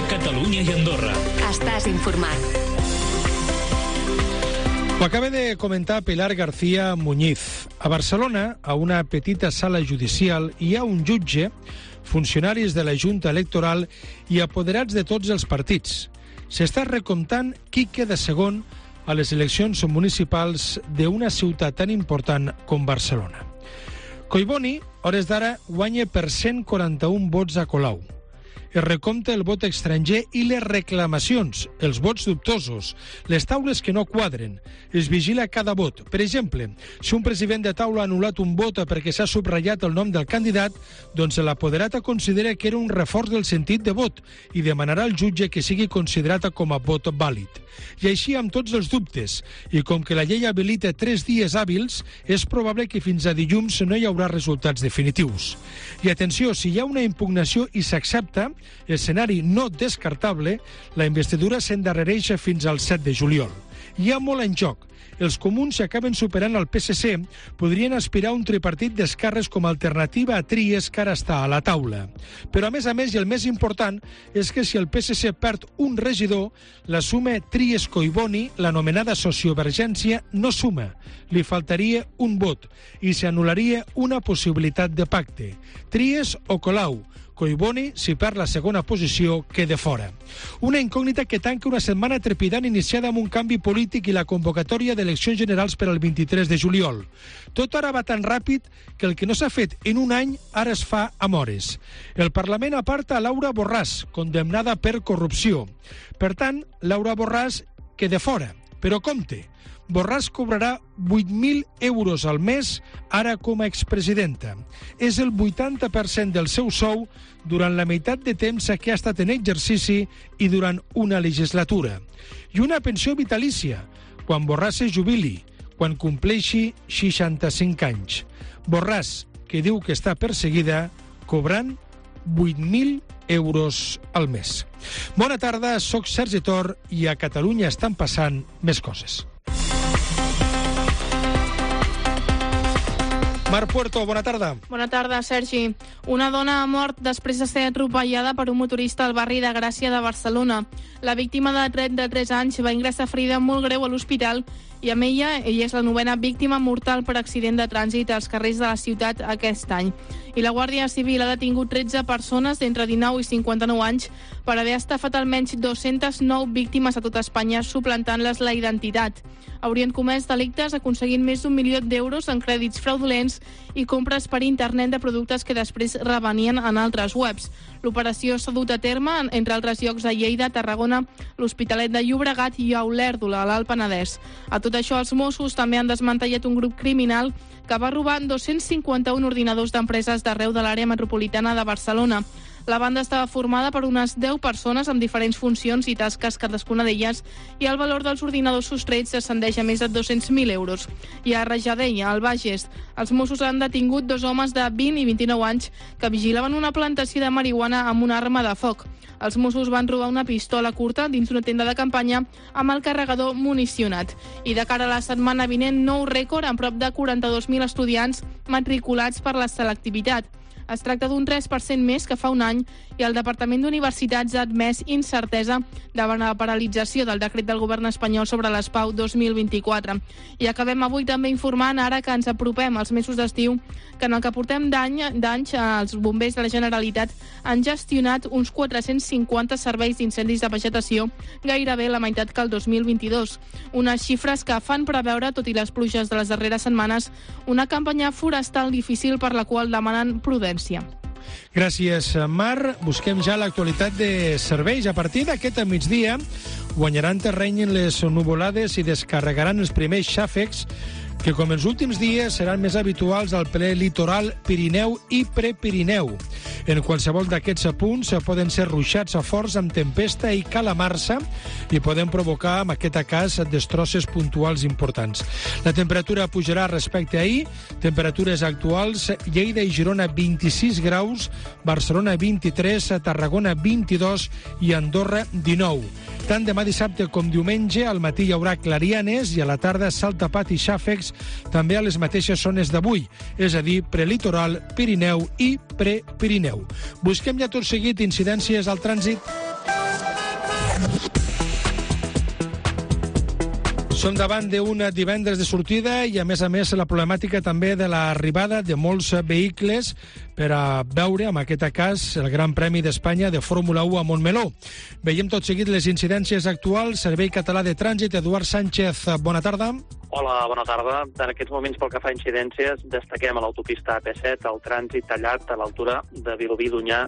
Catalunya i Andorra. Estàs informat. Ho acaba de comentar Pilar García Muñiz. A Barcelona, a una petita sala judicial, hi ha un jutge, funcionaris de la Junta Electoral i apoderats de tots els partits. S'està recomptant qui queda segon a les eleccions municipals d'una ciutat tan important com Barcelona. Collboni, a hores d'ara, guanya per 141 vots a Colau. Es recompta el vot estranger i les reclamacions, els vots dubtosos, les taules que no quadren. Es vigila cada vot. Per exemple, si un president de taula ha anul·lat un vot perquè s'ha subratllat el nom del candidat, doncs l'apoderata considera que era un reforç del sentit de vot i demanarà al jutge que sigui considerat com a vot vàlid. I així amb tots els dubtes. I com que la llei habilita 3 dies hàbils, és probable que fins a dilluns no hi haurà resultats definitius. I atenció, si hi ha una impugnació i s'accepta, escenari no descartable, la investidura s'endarrereix fins al 7 de juliol. Hi ha molt en joc. Els comuns, si acaben superant el PSC, podrien aspirar a un tripartit d'esquerres com a alternativa a Tries, que ara està a la taula. Però, a més, i el més important, és que si el PSC perd un regidor, la suma Tries-Collboni, l'anomenada sociovergència, no suma. Li faltaria un vot i s'anul·laria una possibilitat de pacte. Tries o Colau. Collboni, si perd la segona posició, queda fora. Una incògnita que tanca una setmana trepidant iniciada amb un canvi polític i la convocatòria d'eleccions generals per al 23 de juliol. Tot ara va tan ràpid que el que no s'ha fet en un any ara es fa amb hores. El Parlament aparta a Laura Borràs, condemnada per corrupció. Per tant, Laura Borràs queda fora. Però compte, Borràs cobrarà 8.000 euros al mes ara com a expresidenta. És el 80% del seu sou durant la meitat de temps que ha estat en exercici i durant una legislatura. I una pensió vitalícia, quan Borràs es jubili, quan compleixi 65 anys. Borràs, que diu que està perseguida, cobrant 8.000 euros al mes. Bona tarda, soc Sergi Tor i a Catalunya estan passant més coses. Mar Puerto, bona tarda. Bona tarda, Sergi. Una dona ha mort després de ser atropellada per un motorista al barri de Gràcia de Barcelona. La víctima de 33 anys va ingressar ferida molt greu a l'hospital i amb ella és la 9a víctima mortal per accident de trànsit als carrers de la ciutat aquest any. I la Guàrdia Civil ha detingut 13 persones d'entre 19 i 59 anys per haver estafat almenys 209 víctimes a tot Espanya, suplantant-les la identitat. Haurien comès delictes aconseguint més d'1 milió d'euros en crèdits fraudulents i compres per internet de productes que després revenien en altres webs. L'operació s'ha dut a terme, entre altres llocs, a Lleida, Tarragona, l'Hospitalet de Llobregat i a Olèrdola, a l'Alt Penedès. A tot això, els Mossos també han desmantellat un grup criminal que va robar 251 ordinadors d'empreses d'arreu de l'àrea metropolitana de Barcelona. La banda estava formada per unes 10 persones amb diferents funcions i tasques cadascuna d'elles i el valor dels ordinadors sostrets ascendeix a més de 200.000 euros. I a Rajadell, al Bages, els Mossos han detingut 2 homes de 20 i 29 anys que vigilaven una plantació de marihuana amb una arma de foc. Els Mossos van robar una pistola curta dins una tenda de campanya amb el carregador municionat. I de cara a la setmana vinent, nou rècord amb prop de 42.000 estudiants matriculats per la selectivitat. Es tracta d'un 3% més que fa un any i el Departament d'Universitats ha admès incertesa davant la paralització del decret del govern espanyol sobre les PAU 2024. I acabem avui també informant, ara que ens apropem als mesos d'estiu, que en el que portem d'anys els bombers de la Generalitat han gestionat uns 450 serveis d'incendis de vegetació, gairebé la meitat que el 2022. Unes xifres que fan preveure, tot i les pluges de les darreres setmanes, una campanya forestal difícil per la qual demanen prudència. Gràcies, Mar. Busquem ja l'actualitat de serveis. A partir d'aquest migdia guanyaran terreny en les nuvolades i descarregaran els primers xàfecs que, com els últims dies, seran més habituals al ple litoral Pirineu i Prepirineu. En qualsevol d'aquests punts poden ser ruixats forts amb tempesta i calamarsa i poden provocar, en aquest cas, destrosses puntuals importants. La temperatura pujarà respecte a ahir. Temperatures actuals: Lleida i Girona 26 graus, Barcelona 23, Tarragona 22 i Andorra 19. Tant demà dissabte com diumenge, al matí hi haurà clarianes i a la tarda saltapat i xàfecs també a les mateixes zones d'avui, és a dir, prelitoral, Pirineu i Prepirineu. Busquem ja tot seguit incidències al trànsit. Som davant d'un divendres de sortida i, a més, la problemàtica també de l'arribada de molts vehicles per a veure, en aquest cas, el Gran Premi d'Espanya de Fórmula 1 a Montmeló. Veiem tot seguit les incidències actuals. Servei Català de Trànsit, Eduard Sánchez, bona tarda. Hola, bona tarda. En aquests moments, pel que fa a incidències, destaquem a l'autopista AP7 el trànsit tallat a l'altura de Vilobí d'Onyar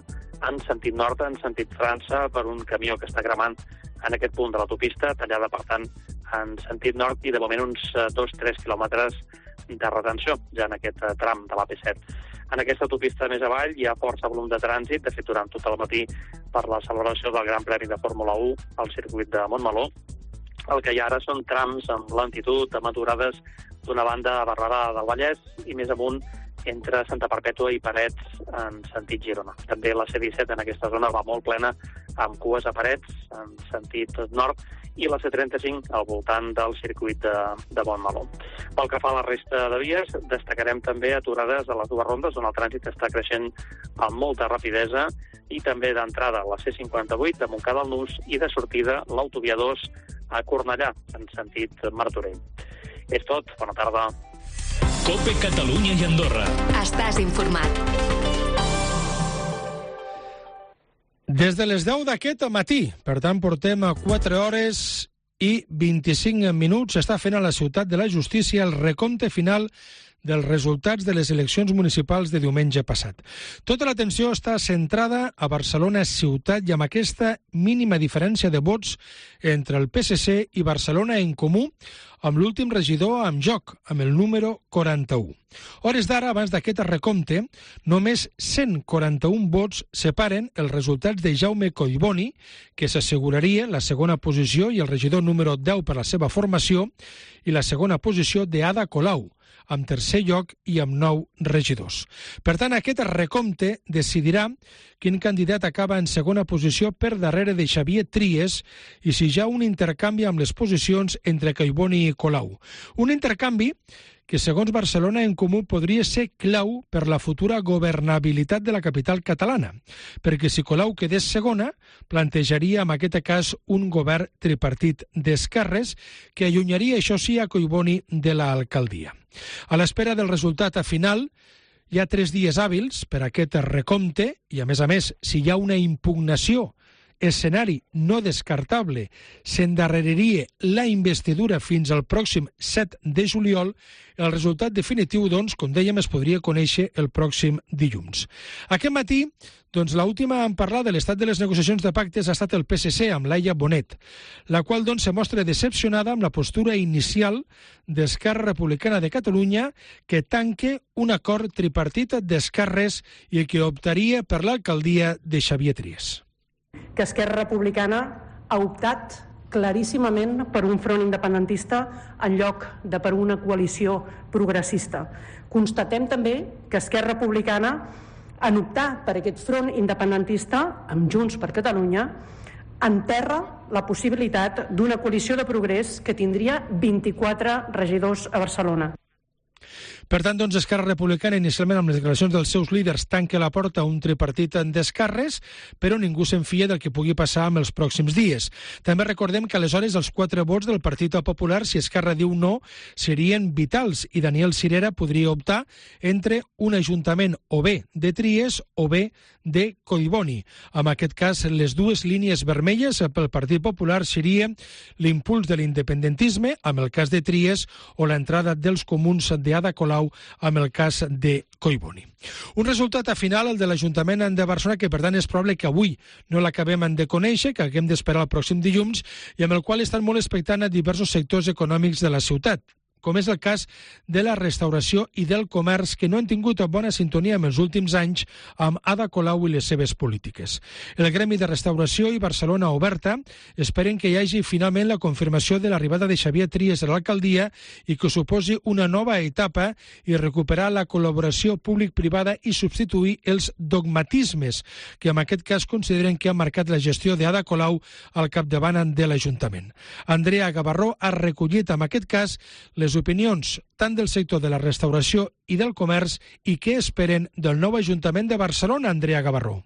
en sentit nord, en sentit França, per un camió que està cremant en aquest punt de l'autopista, tallada, per tant, en sentit nord, i de moment uns 2-3 quilòmetres de retenció ja en aquest tram de l'AP7. En aquesta autopista més avall hi ha força volum de trànsit, de fet durant tot el matí per la celebració del Gran Premi de Fórmula 1 al circuit de Montmeló. El que hi ha ara són trams amb lentitud, amb aturades d'una banda a Barberà del Vallès i més amunt entre Santa Perpètua i Parets en sentit Girona. També la C-17 en aquesta zona va molt plena amb cues a Parets en sentit nord i la C-35 al voltant del circuit de Montmeló. Pel que fa a la resta de vies, destacarem també aturades a les dues rondes on el trànsit està creixent amb molta rapidesa i també d'entrada a la C-58 de Montcada al Nus i de sortida l'autovia 2 a Cornellà en sentit Martorell. És tot. Bona tarda. COPE Catalunya i Andorra. Estàs informat. Des de les 10 d'aquest matí, per tant portem 4 hores i 25 minuts, està fent a la Ciutat de la Justícia el recompte final dels resultats de les eleccions municipals de diumenge passat. Tota l'atenció està centrada a Barcelona ciutat i amb aquesta mínima diferència de vots entre el PSC i Barcelona en Comú, amb l'últim regidor en joc, amb el número 41. Hores d'ara, abans d'aquest recompte, només 141 vots separen els resultats de Jaume Collboni, que s'asseguraria la segona posició, i el regidor número 10 per la seva formació, i la segona posició d'Ada Colau, amb tercer lloc i amb 9 regidors. Per tant, aquest recompte decidirà quin candidat acaba en segona posició per darrere de Xavier Trias i si hi ha un intercanvi amb les posicions entre Collboni i Colau. Un intercanvi que, segons Barcelona en Comú, podria ser clau per la futura governabilitat de la capital catalana, perquè si Colau quedés segona, plantejaria en aquest cas un govern tripartit d'esquerres que allunyaria, això sí, a Collboni de l'alcaldia. A l'espera del resultat final, hi ha 3 dies hàbils per a aquest recompte i, a més, si hi ha una impugnació, escenari no descartable, s'endarreriria la investidura fins al pròxim 7 de juliol, el resultat definitiu, doncs, com dèiem, es podria conèixer el pròxim dilluns. Aquest matí, doncs, l'última en parlar de l'estat de les negociacions de pactes ha estat el PSC, amb Laia Bonet, la qual, doncs, se mostra decepcionada amb la postura inicial d'Esquerra Republicana de Catalunya, que tanque un acord tripartit d'esquerres i que optaria per l'alcaldia de Xavier Trias. Que Esquerra Republicana ha optat claríssimament per un front independentista en lloc de per una coalició progressista. Constatem també que Esquerra Republicana, en optar per aquest front independentista amb Junts per Catalunya, enterra la possibilitat d'una coalició de progrés que tindria 24 regidors a Barcelona. Per tant, doncs, Esquerra Republicana, inicialment amb les declaracions dels seus líders, tanca la porta a un tripartit d'esquerres, però ningú s'enfia del que pugui passar en els pròxims dies. També recordem que aleshores els 4 vots del Partit Popular, si Esquerra diu no, serien vitals i Daniel Sirera podria optar entre un ajuntament o bé de Trias o bé de Collboni. En aquest cas, les 2 línies vermelles pel Partit Popular seria l'impuls de l'independentisme, amb el cas de Trias, o l'entrada dels comuns d'Ada Colau, amb el cas de Collboni. Un resultat final, el de l'Ajuntament de Barcelona, que per tant és probable que avui no l'acabem de conèixer, que haguem d'esperar el pròxim dilluns, i amb el qual estan molt expectant a diversos sectors econòmics de la ciutat, com és el cas de la restauració i del comerç, que no han tingut bona sintonia en els últims anys amb Ada Colau i les seves polítiques. El Gremi de Restauració i Barcelona Oberta esperen que hi hagi finalment la confirmació de l'arribada de Xavier Trias a l'alcaldia i que suposi una nova etapa i recuperar la col·laboració públic-privada i substituir els dogmatismes que en aquest cas consideren que han marcat la gestió d'Ada Colau al capdavant de l'Ajuntament. Andrea Gavarró ha recollit en aquest cas les opinions tant del sector de la restauració i del comerç i què esperen del nou Ajuntament de Barcelona, Andrea Gavarró.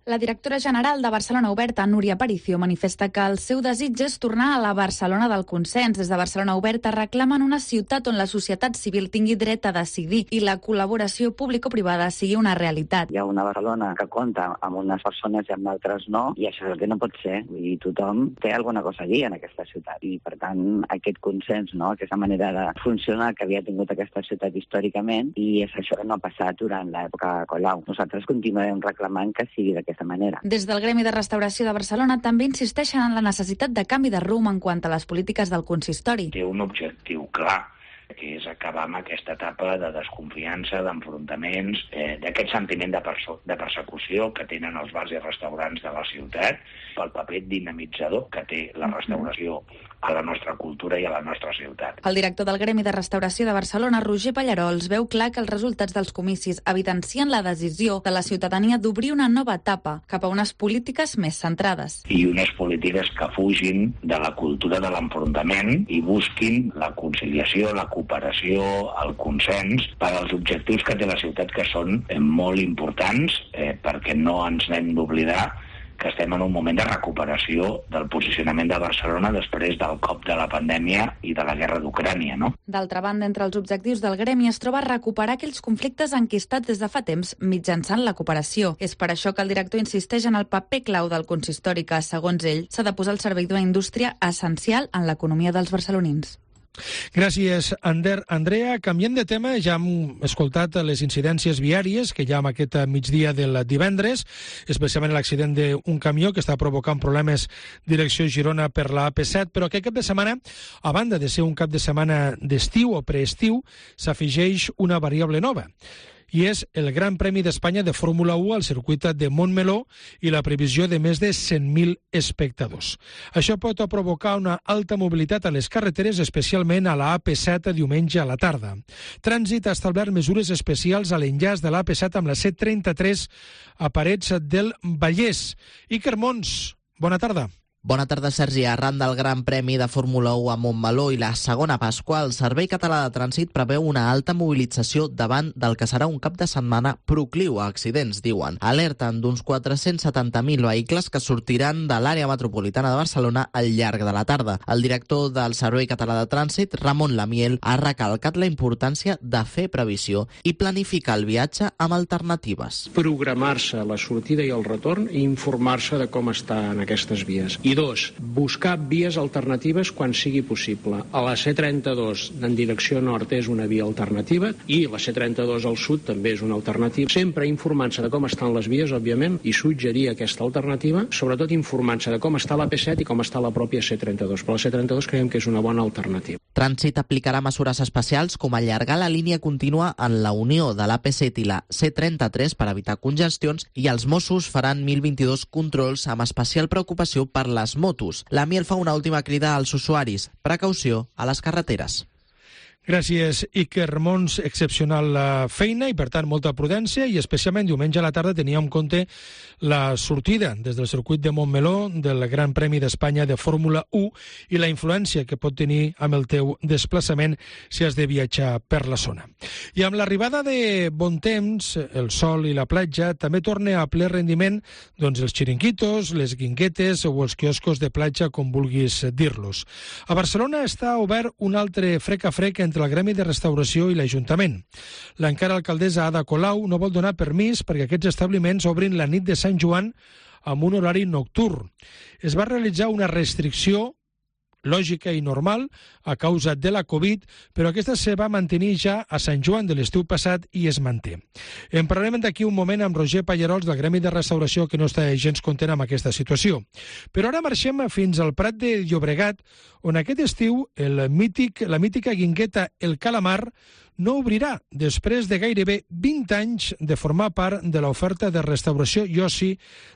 La directora general de Barcelona Oberta, Núria Aparicio, manifesta que el seu desig és tornar a la Barcelona del consens. Des de Barcelona Oberta reclamen una ciutat on la societat civil tingui dret a decidir i la col·laboració público-privada sigui una realitat. Hi ha una Barcelona que compta amb unes persones i amb altres no, i això és el que no pot ser. I tothom té alguna cosa a dir en aquesta ciutat. I, per tant, aquest consens, aquesta manera de funcionar que havia tingut aquesta ciutat històricament, i és això que no ha passat durant l'època Colau. Nosaltres continuarem reclamant que sigui d'aquesta manera. Des del Gremi de Restauració de Barcelona també insisteixen en la necessitat de canvi de rumb en quant a les polítiques del consistori. Té un objectiu clar, que és acabar amb aquesta etapa de desconfiança, d'enfrontaments, d'aquest sentiment de persecució que tenen els bars i restaurants de la ciutat, pel paper dinamitzador que té la restauració a la nostra cultura i a la nostra ciutat. El director del Gremi de Restauració de Barcelona, Roger Pallarols, veu clar que els resultats dels comicis evidencien la decisió de la ciutadania d'obrir una nova etapa cap a unes polítiques més centrades. I unes polítiques que fugin de la cultura de l'enfrontament i busquin la conciliació, la cooperació, el consens per als objectius que té la ciutat, que són molt importants, perquè no ens n'hem d'oblidar que estem en un moment de recuperació del posicionament de Barcelona després del cop de la pandèmia i de la guerra d'Ucrània, no? D'altra banda, entre els objectius del gremi es troba recuperar aquells conflictes enquistats des de fa temps mitjançant la cooperació. És per això que el director insisteix en el paper clau del consistori que, segons ell, s'ha de posar al servei d'una indústria essencial en l'economia dels barcelonins. Gràcies, Andrea. Canviant de tema, ja hem escoltat les incidències viàries que hi ha amb aquest migdia del divendres, especialment l'accident d'un camió que està provocant problemes direcció Girona per la AP7, però aquest cap de setmana, a banda de ser un cap de setmana d'estiu o preestiu, s'afegeix una variable nova. I és el Gran Premi d'Espanya de Fórmula 1 al circuit de Montmeló i la previsió de més de 100.000 espectadors. Això pot provocar una alta mobilitat a les carreteres, especialment a la AP7 diumenge a la tarda. Trànsit ha establert mesures especials a l'enllaç de la AP7 amb la C33 a Parets del Vallès. Iker Mons, bona tarda. Bona tarda, Sergi. Arran del Gran Premi de Fórmula 1 a Montmeló i la segona Pasqua, el Servei Català de Trànsit preveu una alta mobilització davant del que serà un cap de setmana procliu a accidents, diuen. Alerten d'uns 470.000 vehicles que sortiran de l'àrea metropolitana de Barcelona al llarg de la tarda. El director del Servei Català de Trànsit, Ramon Lamiel, ha recalcat la importància de fer previsió i planificar el viatge amb alternatives. Programar-se la sortida i el retorn i informar-se de com estan aquestes vies. I dos, buscar vies alternatives quan sigui possible. A la C32 en direcció nord és una via alternativa i la C32 al sud també és una alternativa. Sempre informant-se de com estan les vies, òbviament, i suggerir aquesta alternativa, sobretot informant-se de com està la P7 i com està la pròpia C32. Però la C32 creiem que és una bona alternativa. Trànsit aplicarà mesures especials com allargar la línia contínua en la unió de la P7 i la C33 per evitar congestions i els Mossos faran 1.022 controls amb especial preocupació per les motos. La Miel fa una última crida als usuaris. Precaució a les carreteres. Gràcies, Iker Mons. Excepcional feina i, per tant, molta prudència, i especialment diumenge a la tarda tenia en compte la sortida des del circuit de Montmeló del Gran Premi d'Espanya de Fórmula 1 i la influència que pot tenir amb el teu desplaçament si has de viatjar per la zona. I amb l'arribada de bon temps, el sol i la platja, també torna a ple rendiment els xiringuitos, les guinguetes o els quioscos de platja, com vulguis dir-los. A Barcelona està obert un altre frec a frec entre el Gremi de Restauració i l'Ajuntament. L'encara alcaldessa Ada Colau no vol donar permís perquè aquests establiments obrin la nit de Sant Joan amb un horari nocturn. Es va realitzar una restricció lògica i normal a causa de la Covid, però aquesta se va mantenir ja a Sant Joan de l'estiu passat i es manté. En parlarem d'aquí un moment amb Roger Pallarols del Gremi de Restauració, que no està gens content amb aquesta situació. Però ara marxem fins al Prat de Llobregat, on aquest estiu la mítica guingueta El Calamar no obrirà després de gairebé 20 anys de formar part de l'oferta de restauració i oci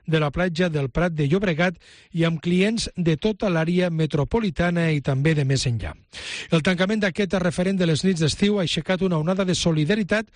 de la platja del Prat de Llobregat i amb clients de tota l'àrea metropolitana i també de més enllà. El tancament d'aquest referent de les nits d'estiu ha aixecat una onada de solidaritat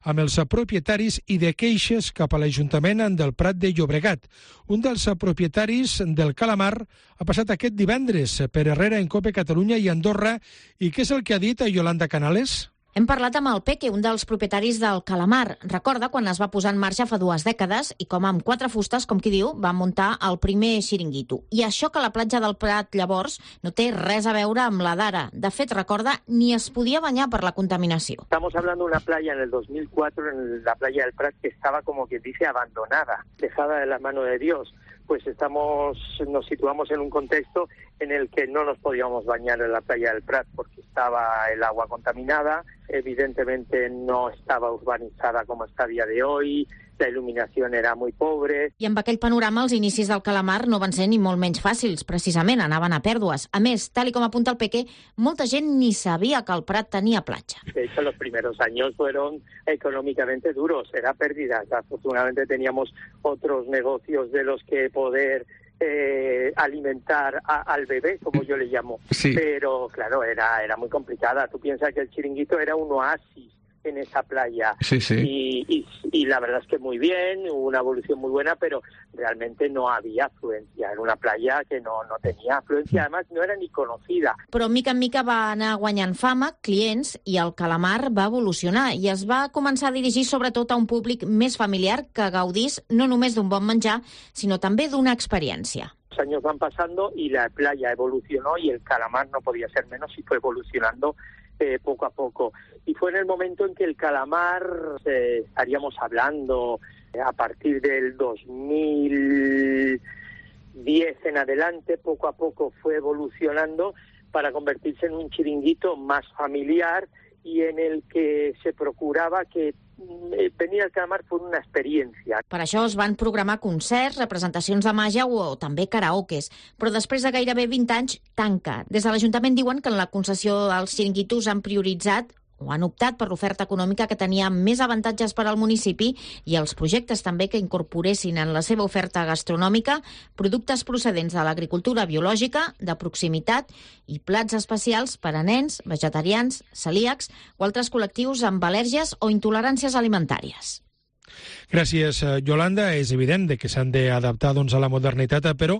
amb els propietaris i de queixes cap a l'Ajuntament del Prat de Llobregat. Un dels propietaris del Calamar ha passat aquest divendres per Herrera en COPE Catalunya i Andorra. I què és el que ha dit a Yolanda Canales? Hem parlat amb el Peque, un dels propietaris del Calamar. Recorda quan es va posar en marxa fa 2 dècades i com amb 4 fustes, com qui diu, va muntar el primer xiringuito. I això que la platja del Prat llavors no té res a veure amb la d'ara. De fet, recorda, ni es podia banyar per la contaminació. Estamos hablando de una playa en el 2004, en la playa del Prat, que estaba, como quien dice, abandonada, dejada de la mano de Dios. Pues nos situamos en un contexto en el que no nos podíamos bañar en la playa del Prat porque estaba el agua contaminada, evidentemente no estaba urbanizada como está a día de hoy, la il·luminació era muy pobre. I amb aquell panorama, els inicis del Calamar no van ser ni molt menys fàcils, precisament anaven a pèrdues. A més, tal com apunta el Peque, molta gent ni sabia que el Prat tenia platja. De hecho, los primeros años fueron económicamente duros, era pérdidas. Afortunadamente teníamos otros negocios de los que poder alimentar al bebé, como yo le llamo. Sí. Pero, claro, era muy complicada. Tú piensas que el chiringuito era un oasis en esa playa. Sí, sí. Y la verdad es que muy bien, hubo una evolución muy buena, pero realmente no había afluencia. Era una playa que no tenía afluencia, además no era ni conocida. Però mica en mica va anar guanyant fama, clients, i el Calamar va evolucionar i es va començar a dirigir sobretot a un públic més familiar que gaudís no només d'un bon menjar, sinó també d'una experiència. Los años van pasando y la playa evolucionó y el Calamar no podía ser menos y fue evolucionando poco a poco. Y fue en el momento en que el Calamar, estaríamos hablando a partir del 2010 en adelante, poco a poco fue evolucionando para convertirse en un chiringuito más familiar y en el que se procuraba que venir al Calamar por una experiència. Per això es van programar concerts, representacions de màgia o també karaokes. Però després de gairebé 20 anys, tanca. Des de l'Ajuntament diuen que en la concessió dels xiringuitos han prioritzat o han optat per l'oferta econòmica que tenia més avantatges per al municipi i els projectes també que incorporessin en la seva oferta gastronòmica productes procedents de l'agricultura biològica, de proximitat i plats especials per a nens, vegetarians, celíacs o altres col·lectius amb al·lèrgies o intoleràncies alimentàries. Gràcies, Yolanda. És evident que s'han d'adaptar a la modernitat, però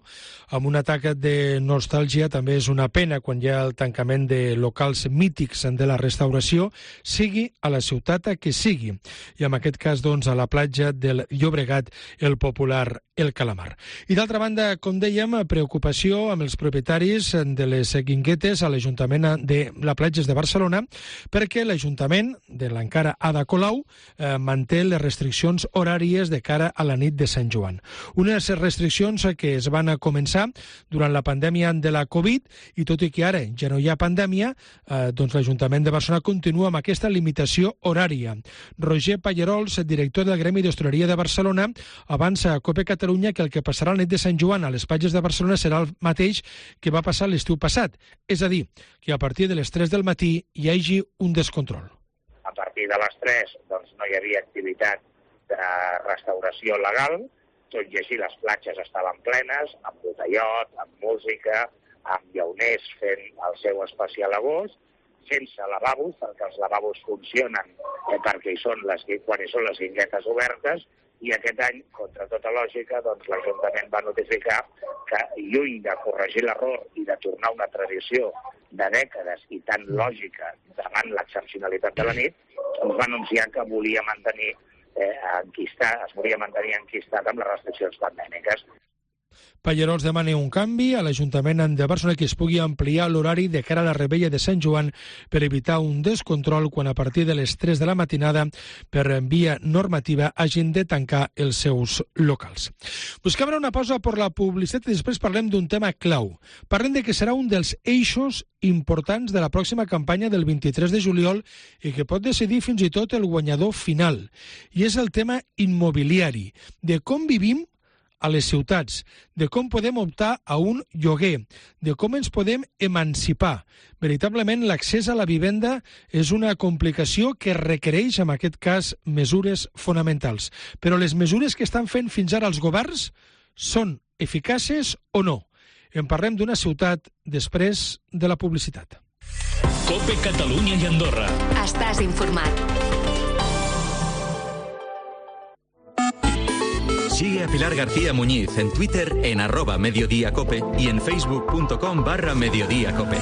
amb un atac de nostàlgia també és una pena quan hi ha el tancament de locals mítics de la restauració, sigui a la ciutat que sigui. I en aquest cas, a la platja del Llobregat, el popular El Calamar. I d'altra banda, com dèiem, preocupació amb els propietaris de les guinguetes a l'Ajuntament de la Platges de Barcelona, perquè l'Ajuntament de l'encara Ada Colau manté les restriccions horàries de cara a la nit de Sant Joan. Unes restriccions que es van començar durant la pandèmia de la Covid i tot i que ara ja no hi ha pandèmia, l'Ajuntament de Barcelona continua amb aquesta limitació horària. Roger Pallerols, director del Gremi d'Hostaleria de Barcelona, avança a COPE Catalunya que el que passarà la nit de Sant Joan a les platges de Barcelona serà el mateix que va passar l'estiu passat, és a dir, que a partir de les 3 del matí hi hagi un descontrol. A partir de les 3 no hi havia activitat de restauració legal, tot i així les platges estaven plenes, amb botellot, amb música, amb llauners fent el seu especial agost, sense lavabos, perquè els lavabos funcionen perquè quan hi són les guinguetes obertes, i aquest any, contra tota lògica, l'Ajuntament va notificar que, lluny de corregir l'error i de tornar una tradició de dècades i tan lògica davant l'excepcionalitat de la nit, ens va anunciar que volia mantenir es volia mantenir enquistat amb les restriccions pandèmiques. Pallerols demana un canvi a l'Ajuntament de Barcelona que es pugui ampliar l'horari de cara a la rebella de Sant Joan per evitar un descontrol quan a partir de les 3 de la matinada per via normativa hagin de tancar els seus locals. Busquem ara una pausa per la publicitat i després parlem d'un tema clau. Parlem de que serà un dels eixos importants de la pròxima campanya del 23 de juliol i que pot decidir fins i tot el guanyador final. I és el tema immobiliari, de com vivim a les ciutats, de com podem optar a un lloguer, de com ens podem emancipar. Veritablement, l'accés a la vivenda és una complicació que requereix, en aquest cas, mesures fonamentals. Però les mesures que estan fent fins ara els governs són eficaces o no? En parlem d'una ciutat després de la publicitat. COPE Catalunya i Andorra. Estàs informat. Sigue a Pilar García Muñiz en Twitter en @mediodíacope y en facebook.com/mediodíacope.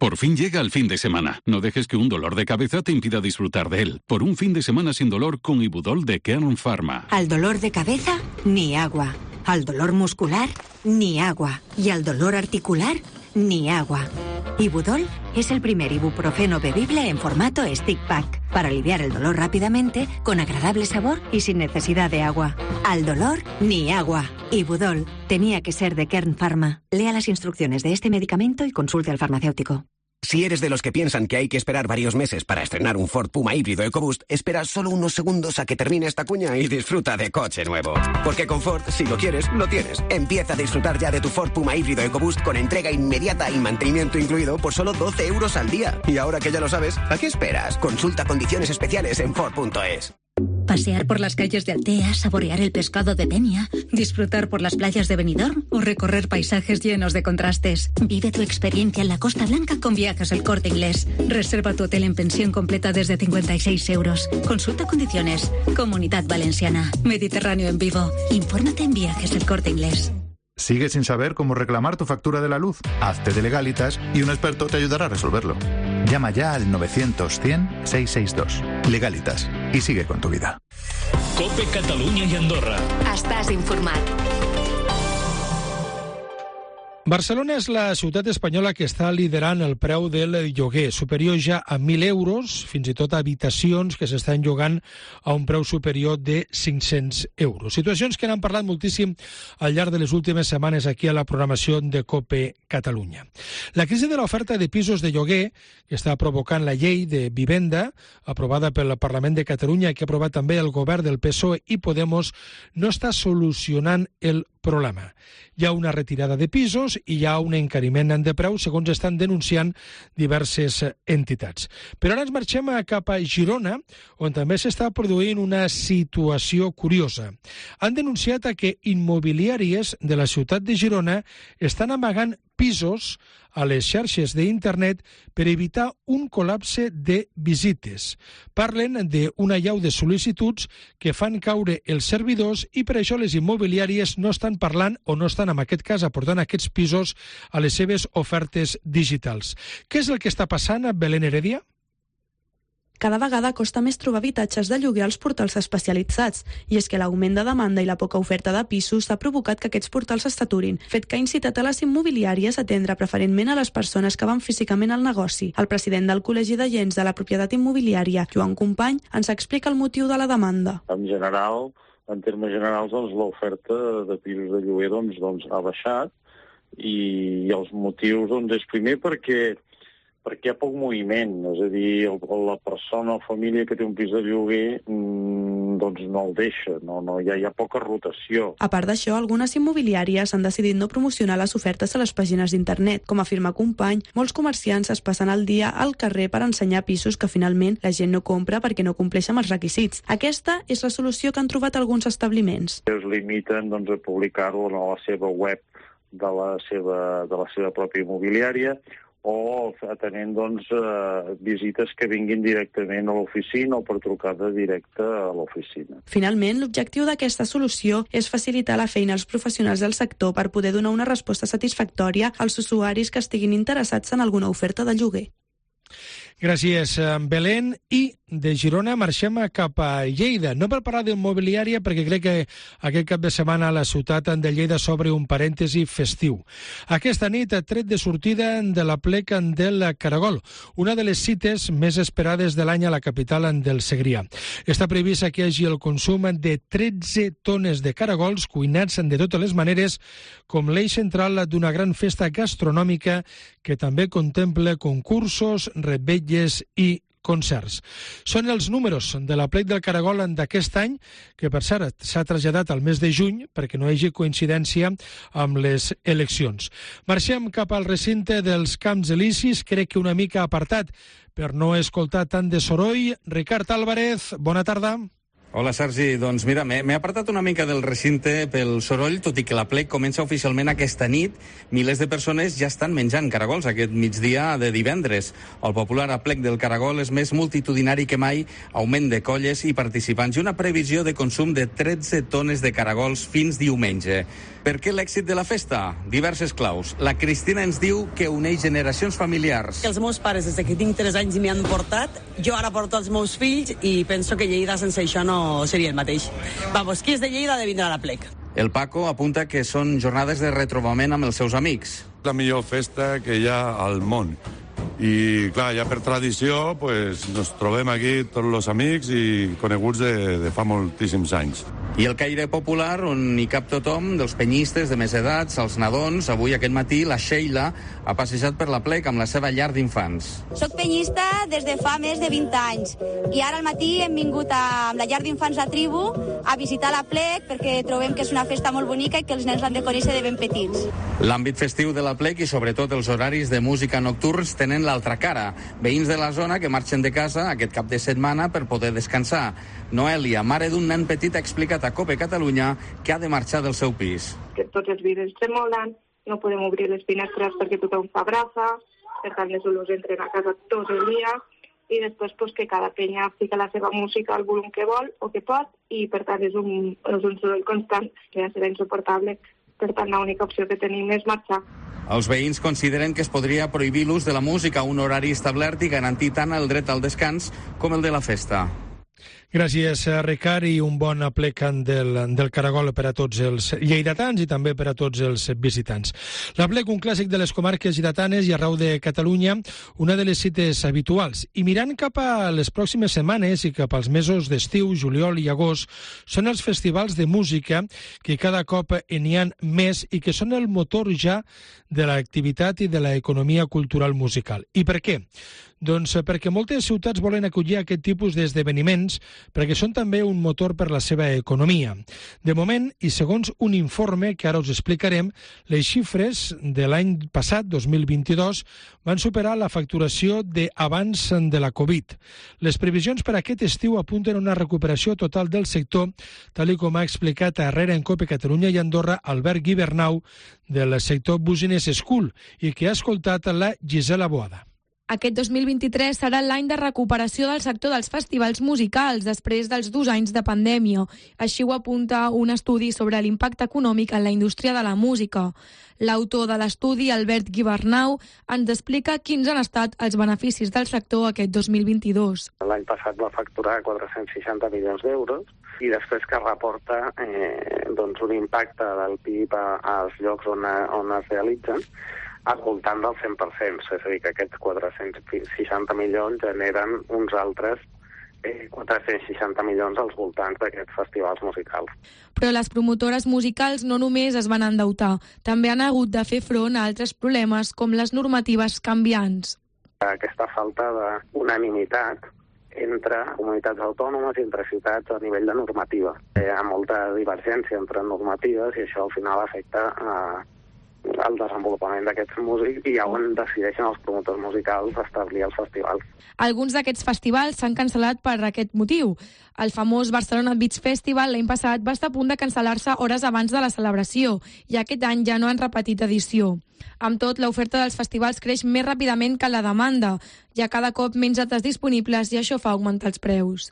Por fin llega el fin de semana. No dejes que un dolor de cabeza te impida disfrutar de él. Por un fin de semana sin dolor con Ibudol de Kern Pharma. Al dolor de cabeza, ni agua. Al dolor muscular, ni agua. Y al dolor articular, ni agua. Ibudol es el primer ibuprofeno bebible en formato stick pack para aliviar el dolor rápidamente, con agradable sabor y sin necesidad de agua. Al dolor, ni agua. Ibudol tenía que ser de Kern Pharma. Lea las instrucciones de este medicamento y consulte al farmacéutico. Si eres de los que piensan que hay que esperar varios meses para estrenar un Ford Puma híbrido EcoBoost, espera solo unos segundos a que termine esta cuña y disfruta de coche nuevo. Porque con Ford, si lo quieres, lo tienes. Empieza a disfrutar ya de tu Ford Puma híbrido EcoBoost con entrega inmediata y mantenimiento incluido por solo 12 euros al día. Y ahora que ya lo sabes, ¿a qué esperas? Consulta condiciones especiales en Ford.es. Pasear por las calles de Altea, saborear el pescado de Denia, disfrutar por las playas de Benidorm o recorrer paisajes llenos de contrastes. Vive tu experiencia en la Costa Blanca con Viajes El Corte Inglés. Reserva tu hotel en pensión completa desde 56 euros. Consulta condiciones. Comunidad Valenciana. Mediterráneo en vivo. Infórmate en Viajes El Corte Inglés. ¿Sigues sin saber cómo reclamar tu factura de la luz? Hazte de Legalitas y un experto te ayudará a resolverlo. Llama ya al 900-100-662. Legalitas. Y sigue con tu vida. COPE Catalunya i Andorra. Estàs informat. Barcelona és la ciutat espanyola que està liderant el preu del lloguer, superior ja a 1.000 euros, fins i tot habitacions que s'estan llogant a un preu superior de 500 euros. Situacions que n'han parlat moltíssim al llarg de les últimes setmanes aquí a la programació de COPE Catalunya. La crisi de l'oferta de pisos de lloguer que està provocant la llei de vivenda, aprovada pel Parlament de Catalunya i que ha aprovat també el govern del PSOE i Podemos, no està solucionant el problema. Hi ha una retirada de pisos i hi ha un encariment de preu, segons estan denunciant diverses entitats. Però ara ens marxem cap a Girona, on també s'està produint una situació curiosa. Han denunciat que immobiliàries de la ciutat de Girona estan amagant pisos a les xarxes d'internet per evitar un col·lapse de visites. Parlen d'una allau de sol·licituds que fan caure els servidors i per això les immobiliàries no estan parlant o no estan, en aquest cas, aportant aquests pisos a les seves ofertes digitals. Què és el que està passant a Belén Heredia? Cada vegada costa més trobar habitatges de lloguer als portals especialitzats, i és que l'augment de demanda i la poca oferta de pisos ha provocat que aquests portals s'aturin, fet que ha incitat a les immobiliàries a atendre preferentment a les persones que van físicament al negoci. El president del Col·legi d'Agents de la Propietat Immobiliària, Joan Company, ens explica el motiu de la demanda. En general, en termes generals, l'oferta de pisos de lloguer ha baixat i els motius és primer perquè hi ha poc moviment, és a dir, la persona o família que té un pis de lloguer no el deixa, hi ha poca rotació. A part d'això, algunes immobiliàries han decidit no promocionar les ofertes a les pàgines d'internet. Com afirma Company, molts comerciants es passen el dia al carrer per ensenyar pisos que finalment la gent no compra perquè no compleixen els requisits. Aquesta és la solució que han trobat alguns establiments. Es limiten a publicar-ho a la seva web de la seva pròpia immobiliària, o atenent visites que vinguin directament a l'oficina o per trucada directa a l'oficina. Finalment, l'objectiu d'aquesta solució és facilitar la feina als professionals del sector per poder donar una resposta satisfactòria als usuaris que estiguin interessats en alguna oferta de lloguer. Gràcies, Belén. I de Girona marxem cap a Lleida. No per parlar d'immobiliària, perquè crec que aquest cap de setmana a la ciutat de Lleida s'obre un parèntesi festiu. Aquesta nit ha tret de sortida de la plec del Caragol, una de les cites més esperades de l'any a la capital del Segrià. Està previst que hi hagi el consum de 13 tones de caragols cuinats de totes les maneres, com l'eix central d'una gran festa gastronòmica que també contempla concursos, revetlles i concerts. Són els números de la plec del Caragol d'aquest any, que per cert s'ha traslladat al mes de juny perquè no hi hagi coincidència amb les eleccions. Marxem cap al recinte dels Camps Elisis, crec que una mica apartat per no escoltar tant de soroll. Ricard Álvarez, bona tarda. Hola, Sergi. Doncs mira, m'he apartat una mica del recinte pel soroll, tot i que l'Aplec comença oficialment aquesta nit. Milers de persones ja estan menjant caragols aquest migdia de divendres. El popular Aplec del caragol és més multitudinari que mai, augment de colles i participants i una previsió de consum de 13 tones de caragols fins diumenge. Per què l'èxit de la festa? Diverses claus. La Cristina ens diu que uneix generacions familiars. Els meus pares, des que tinc 3 anys, m'hi han portat. Jo ara porto els meus fills i penso que Lleida sense això no seria el mateix. Vamos, qui és de Lleida ha de vindre a l'Aplec. El Paco apunta que són jornades de retrobament amb els seus amics. La millor festa que hi ha al món. I, clar, ja per tradició, pues, nos trobem aquí tots els amics i coneguts de fa moltíssims anys. I el caire popular, on hi cap tothom, dels penyistes, de més edats, els nadons. Avui, aquest matí, la Sheila ha passejat per l'Aplec amb la seva llar d'infants. Soc penyista des de fa més de 20 anys i ara al matí hem vingut amb la llar d'infants La Tribu a visitar l'Aplec perquè trobem que és una festa molt bonica i que els nens l'han de conèixer de ben petits. L'àmbit festiu de l'Aplec i sobretot els horaris de música nocturns tenen l'altra cara. Veïns de la zona que marxen de casa aquest cap de setmana per poder descansar. Noelia, mare d'un nen petit, ha explicat a COPE Catalunya que ha de marxar del seu pis. Que tots els vidres tremolen, no podem obrir les finestres perquè tothom s'abraça, per tant les olors entren a casa tot el dia i després pues, que cada penya fica la seva música al volum que vol o que pot i per tant és un soroll constant que ja serà insuportable. Per tant l'única opció que tenim és marxar. Els veïns consideren que es podria prohibir l'ús de la música a un horari establert i garantir tant el dret al descans com el de la festa. Gràcies, Ricard, i un bon Aplec del caragol per a tots els lleidatans i també per a tots els visitants. L'Aplec, un clàssic de les comarques lleidatanes i arreu de Catalunya, una de les cites habituals. I mirant cap a les pròximes setmanes i cap als mesos d'estiu, juliol i agost, són els festivals de música que cada cop n'hi ha més i que són el motor ja de l'activitat i de l'economia cultural musical. I per què? Doncs perquè moltes ciutats volen acollir aquest tipus d'esdeveniments perquè són també un motor per la seva economia. De moment, i segons un informe que ara us explicarem, les xifres de l'any passat, 2022, van superar la facturació d'abans de la Covid. Les previsions per aquest estiu apunten a una recuperació total del sector, tal com ha explicat a Herrera en COPE Catalunya i Andorra Albert Guibernau del sector Business School i que ha escoltat la Gisela Boada. Aquest 2023 serà l'any de recuperació del sector dels festivals musicals després dels 2 anys de pandèmia. Així ho apunta un estudi sobre l'impacte econòmic en la indústria de la música. L'autor de l'estudi, Albert Guibernau, ens explica quins han estat els beneficis del sector aquest 2022. L'any passat va facturar 460 milions d'euros i després que reporta un impacte del PIB als llocs on es realitzen al voltant del 100%, és a dir, que aquests 460 milions generen uns altres 460 milions als voltants d'aquests festivals musicals. Però les promotores musicals no només es van endeutar, també han hagut de fer front a altres problemes com les normatives canviants. Aquesta falta d'unanimitat entre comunitats autònomes i entre ciutats a nivell de normativa. Hi ha molta divergència entre normatives i això al final afecta el desenvolupament d'aquests músics i on decideixen els promotors musicals establir els festivals. Alguns d'aquests festivals s'han cancel·lat per aquest motiu. El famós Barcelona Beach Festival l'any passat va estar a punt de cancel·lar-se hores abans de la celebració i aquest any ja no han repetit edició. Amb tot, l'oferta dels festivals creix més ràpidament que la demanda. Hi ha cada cop menys dates disponibles i això fa augmentar els preus.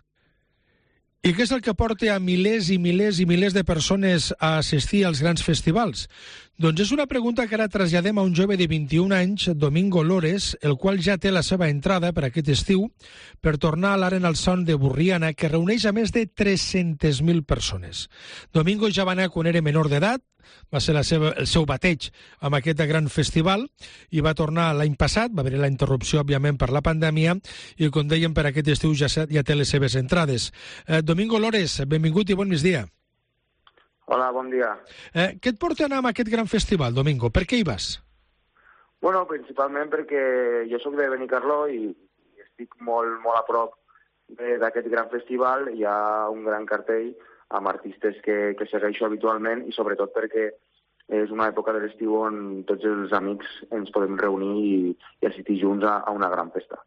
I què és el que porta a milers i milers i milers de persones a assistir als grans festivals? Doncs és una pregunta que ara traslladem a un jove de 21 anys, Domingo Lores, el qual ja té la seva entrada per aquest estiu per tornar a l'Arena al Son de Borriana, que reuneix a més de 300.000 persones. Domingo ja va anar quan era menor d'edat, va ser el seu bateig amb aquest gran festival i va tornar l'any passat, va haver la interrupció òbviament per la pandèmia i com dèiem per aquest estiu ja té les seves entrades. Domingo Lores, benvingut i bon migdia. Hola, bon dia. Què et porta a anar a aquest gran festival, Domingo? Per què hi vas? Bueno, principalment perquè jo sóc de Benicarló i estic molt a prop d'aquest gran festival. Hi ha un gran cartell amb artistes que segueixo habitualment i sobretot perquè és una època de l'estiu on tots els amics ens podem reunir i assistir junts a una gran festa.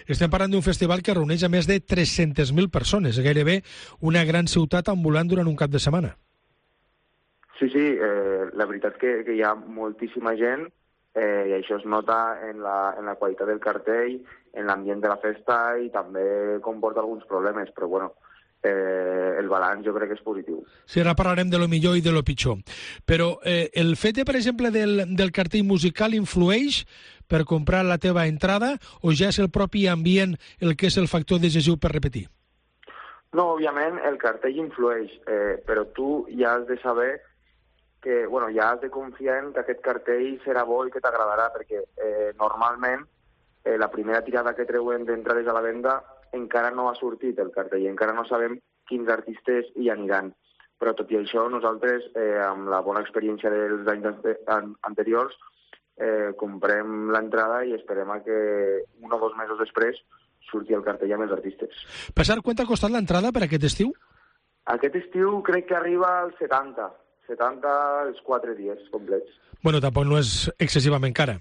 Estem parlant d'un festival que reuneix a més de 300.000 persones, gairebé una gran ciutat ambulant durant un cap de setmana. Sí, la veritat és que hi ha moltíssima gent i això es nota en la qualitat del cartell, en l'ambient de la festa i també comporta alguns problemes, però bueno, el balanç jo crec que és positiu. Sí, ara parlarem de lo millor i de lo pitjor. Però el fet, per exemple, del cartell musical influeix per comprar la teva entrada o ja és el propi ambient el que és el factor decisiu per repetir? No, òbviament el cartell influeix, però tu ja has de saber que, bueno, ja has de confiar en que aquest cartell serà bo i que t'agradarà, perquè normalment la primera tirada que treuen d'entrades a la venda encara no ha sortit el cartell, encara no sabem quins artistes hi aniran. Però tot i això, nosaltres, amb la bona experiència dels anys anteriors, comprem l'entrada i esperem a que 1 o 2 mesos després surti el cartell amb els artistes. Passar, quant ha costat l'entrada per aquest estiu? Aquest estiu crec que arriba als 70 els 4 dies complets. Bueno, tampoc no és excessivament cara.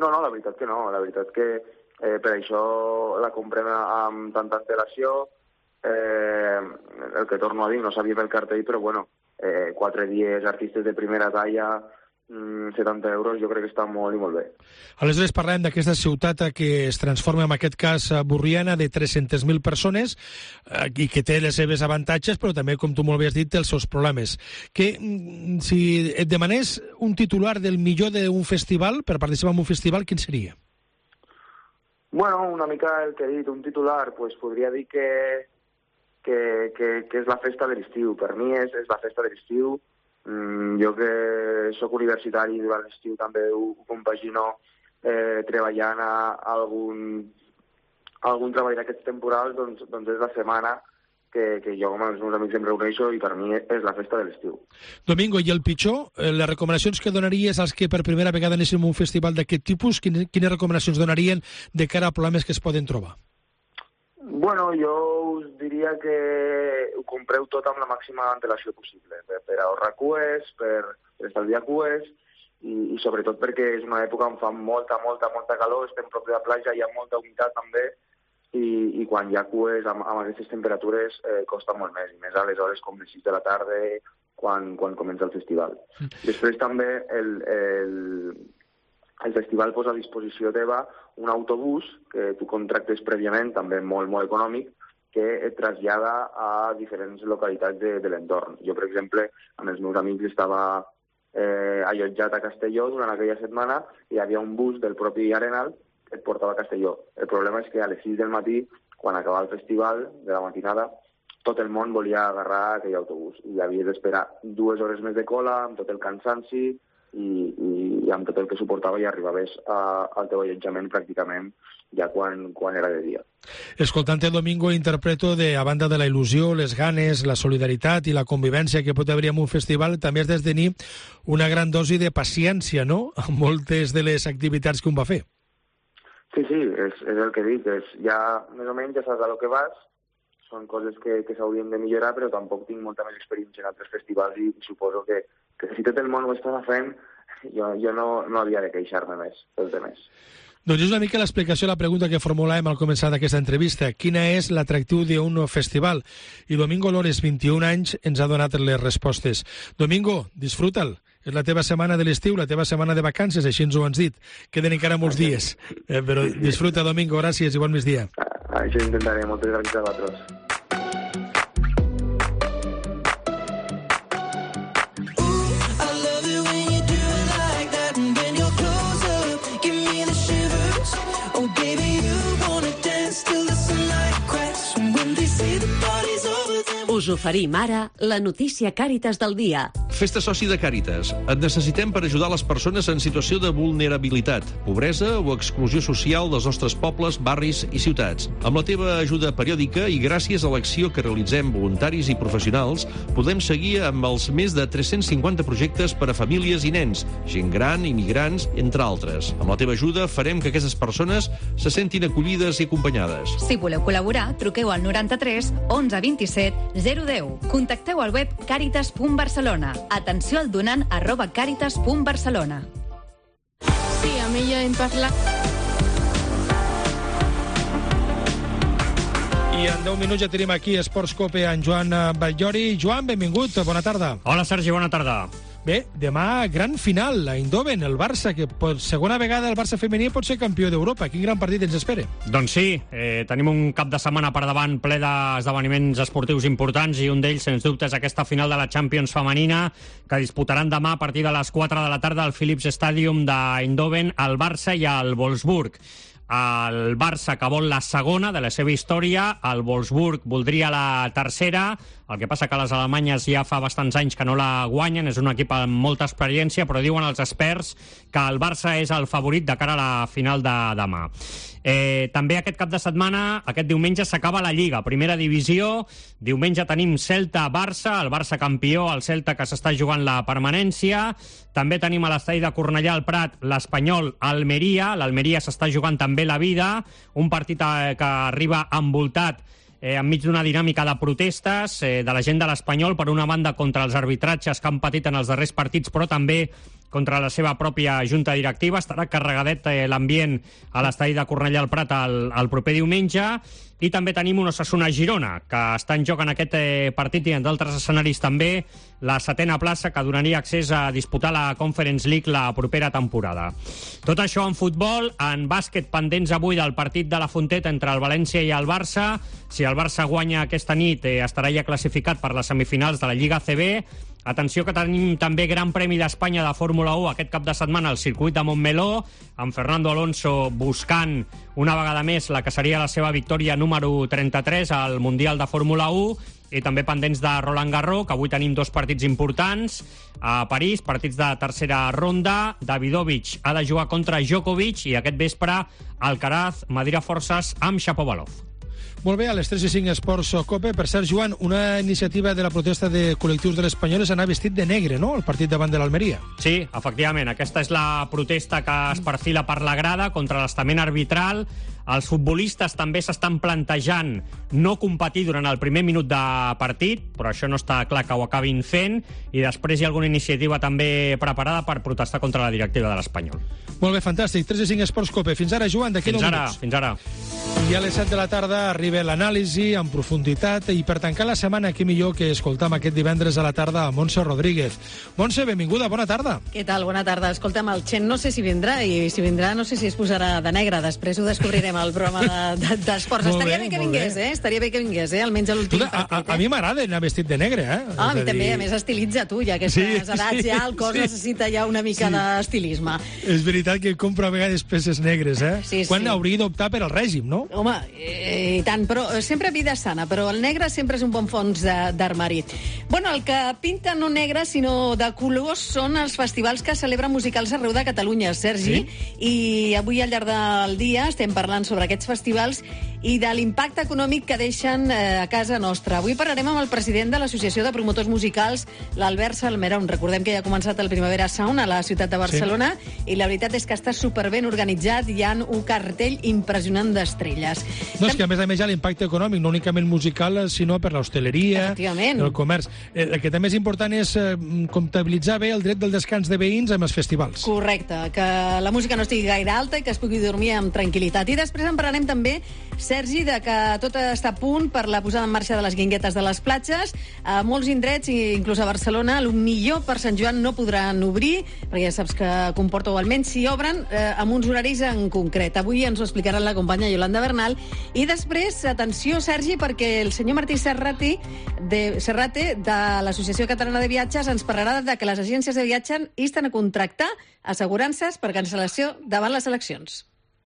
No, la veritat que no. La veritat que per això la comprem amb tanta antelació. El que torno a dir, no sabíem el cartell, però bueno, 4 dies, artistes de primera talla, 70 euros, jo crec que està molt i molt bé. Aleshores parlem d'aquesta ciutat que es transforma, en aquest cas, Borriana, de 300.000 persones i que té les seves avantatges, però també, com tu molt bé has dit, té els seus problemes. Que si et demanés un titular del millor d'un festival, per participar en un festival, quin seria? Bueno, una mica el que he dit, un titular, pues podria dir que és la festa de l'estiu. Per mi és la festa de l'estiu. Jo que sóc universitari durant l'estiu també ho compagino treballant a algun treball d'aquests temporals, doncs és la setmana que jo amb els meus amics em reuneixo i per mi és la festa de l'estiu. Domingo, i el pitjor, les recomanacions que donaries als que per primera vegada anéssim a un festival d'aquest tipus, quines recomanacions donarien de cara a problemes que es poden trobar? Bueno, jo us diria que ho compreu tot amb la màxima antelació possible, per ahorrar cues, per estalviar cues i sobretot perquè és una època on fa molta calor, estem prop de la platja, hi ha molta humitat també i quan hi ha cues amb aquestes temperatures costa molt més, i més a les hores com les 6 de la tarda quan comença el festival. Després també el festival posa a disposició teva un autobús que tu contractes prèviament, també molt econòmic, que et trasllada a diferents localitats de l'entorn. Jo, per exemple, amb els meus amics estava allotjat a Castelló durant aquella setmana i hi havia un bus del propi Arenal que et portava a Castelló. El problema és que a les 6 del matí, quan acabava el festival de la matinada, tot el món volia agarrar aquell autobús i havies d'esperar 2 hores més de cola, amb tot el cansanci i amb tot el que suportava i arribaves al teu allotjament pràcticament ja quan era de dia. Escoltant-te, Domingo, interpreto a banda de la il·lusió, les ganes, la solidaritat i la convivència que pot haver en un festival, també has de tenir una gran dosi de paciència, no?, amb moltes de les activitats que un va fer. Sí, és el que dic, ja més o menys ja saps a lo que vas, són coses que s'haurien de millorar, però tampoc tinc molta més experiència en altres festivals i suposo que si tot el món ho estava fent, jo no havia de queixar-me més dels demés. Doncs és una mica l'explicació a la pregunta que formulàvem al començar d'aquesta entrevista. Quina és l'atractiu d'un festival? I Domingo Lores, 21 anys, ens ha donat les respostes. Domingo, disfruta'l. És la teva setmana de l'estiu, la teva setmana de vacances, així ens ho han dit. Queden encara molts dies. Però disfruta, Domingo, gràcies i bon migdia. Això intentaré. Moltes gràcies a vosaltres. Us oferim ara la notícia Càritas del dia. Fes-te soci de Càritas. Et necessitem per ajudar les persones en situació de vulnerabilitat, pobresa o exclusió social dels nostres pobles, barris i ciutats. Amb la teva ajuda periòdica i gràcies a l'acció que realitzem voluntaris i professionals, podem seguir amb els més de 350 projectes per a famílies i nens, gent gran, immigrants, entre altres. Amb la teva ajuda farem que aquestes persones se sentin acollides i acompanyades. Si voleu col·laborar, truqueu al 93 11 27 010. Contacteu al web caritas.barcelona. atenció al donant @caritas.barcelona. Sí, a mi ja hem parlat... I en 10 minuts ja tenim aquí Esports Cope en Joan Batllori. Joan, benvingut, bona tarda. Hola, Sergi, bona tarda. Bé, demà gran final, a Eindhoven, el Barça, que per segona vegada el Barça femení pot ser campió d'Europa. Quin gran partit ens espera? Doncs sí, tenim un cap de setmana per davant ple d'esdeveniments esportius importants i un d'ells, sens dubte, és aquesta final de la Champions femenina que disputaran demà a partir de les 4 de la tarda al Philips Stadium d'Eindhoven, el Barça i el Wolfsburg. El Barça, que vol la segona de la seva història, el Wolfsburg voldria la tercera. El que passa que les alemanyes ja fa bastants anys que no la guanyen, és un equip amb molta experiència, però diuen els experts que el Barça és el favorit de cara a la final de demà. També aquest cap de setmana, aquest diumenge, s'acaba la Lliga, primera divisió. Diumenge tenim Celta-Barça, el Barça campió, el Celta que s'està jugant la permanència. També tenim a l'estadi de Cornellà al Prat l'Espanyol-Almeria. L'Almeria s'està jugant també la vida, un partit que arriba envoltat enmig d'una dinàmica de protestes de la gent de l'Espanyol, per una banda contra els arbitratges que han patit en els darrers partits, però també contra la seva pròpia junta directiva. Estarà carregadet l'ambient a l'estadi de Cornellà al Prat el proper diumenge. I també tenim un Osasuna-Girona, que està en joc en aquest partit i en d'altres escenaris també la 7a plaça, que donaria accés a disputar la Conference League la propera temporada. Tot això en futbol, en bàsquet pendents avui del partit de la Fonteta entre el València i el Barça. Si el Barça guanya aquesta nit, estarà ja classificat per les semifinals de la Lliga ACB. Atenció que tenim també Gran Premi d'Espanya de Fórmula 1 aquest cap de setmana al circuit de Montmeló, amb Fernando Alonso buscant una vegada més la que seria la seva victòria número 33 al Mundial de Fórmula 1, i també pendents de Roland Garros, que avui tenim dos partits importants a París, partits de tercera ronda. Davidovich ha de jugar contra Djokovic i aquest vespre Alcaraz medirà forces amb Shapovalov. Molt bé, a les 3:05 Esports Cope. Per cert, Joan, una iniciativa de la protesta de col·lectius de l'Espanyol és anar vestit de negre, no?, el partit davant de l'Almeria. Sí, efectivament. Aquesta és la protesta que es perfila per la grada contra l'estament arbitral. Els futbolistes també s'estan plantejant no competir durant el primer minut de partit, però això no està clar que ho acabin fent, i després hi ha alguna iniciativa també preparada per protestar contra la directiva de l'Espanyol. Molt bé, fantàstic. 3:05 Esports Cope. Fins ara, Joan, d'aquí 9 minuts. Fins ara. I a les 7 de la tarda arriba l'anàlisi en profunditat, i per tancar la setmana, què millor que escoltam aquest divendres a la tarda a Montse Rodríguez. Montse, benvinguda, bona tarda. Què tal? Bona tarda. Escolta'm, el Chen no sé si vindrà, i si vindrà no sé si es posarà de negre. Després ho descobrirem al programa d'esports. Estaria bé que vingués, Estaria bé que vingués, almenys a l'últim partit. A mi m'agrada anar vestit de negre, A mi també, a més estilitza tu, ja aquestes edats ja el cos necessita ja una mica d'estilisme. És veritat que compro a vegades peces negres, Quan hauria d'optar per al règim, no? Home, i tant, però sempre vida sana, però el negre sempre és un bon fons d'armari. Bueno, el que pinta no negre, sinó de colors, són els festivals que celebren musicals arreu de Catalunya, Sergi, i avui al llarg del dia estem parlant sobre aquests festivals i de l'impacte econòmic que deixen a casa nostra. Avui parlarem amb el president de l'Associació de Promotors Musicals, l'Albert Salmerón. Recordem que ja ha començat el Primavera Sound a la ciutat de Barcelona, i la veritat és que està superben organitzat, hi ha un cartell impressionant d'estrelles. No, és que a més hi ha l'impacte econòmic, no únicament musical, sinó per l'hostaleria, el comerç. El que també és important és comptabilitzar bé el dret del descans de veïns amb els festivals. Correcte, que la música no estigui gaire alta i que es pugui dormir amb tranquil·litat. I després en parlarem també, Sergi, de que tot està a punt per la posada en marxa de les guinguetes de les platges. A molts indrets, inclús a Barcelona, potser per Sant Joan no podran obrir, perquè ja saps que comporta, o almenys si obren, amb uns horaris en concret. Avui ens ho explicarà la companya Yolanda Bernal. I després, atenció, Sergi, perquè el senyor Martí Serrate, de l'Associació Catalana de Viatges, ens parlarà de que les agències de viatge insten a contractar assegurances per cancel·lació davant les eleccions.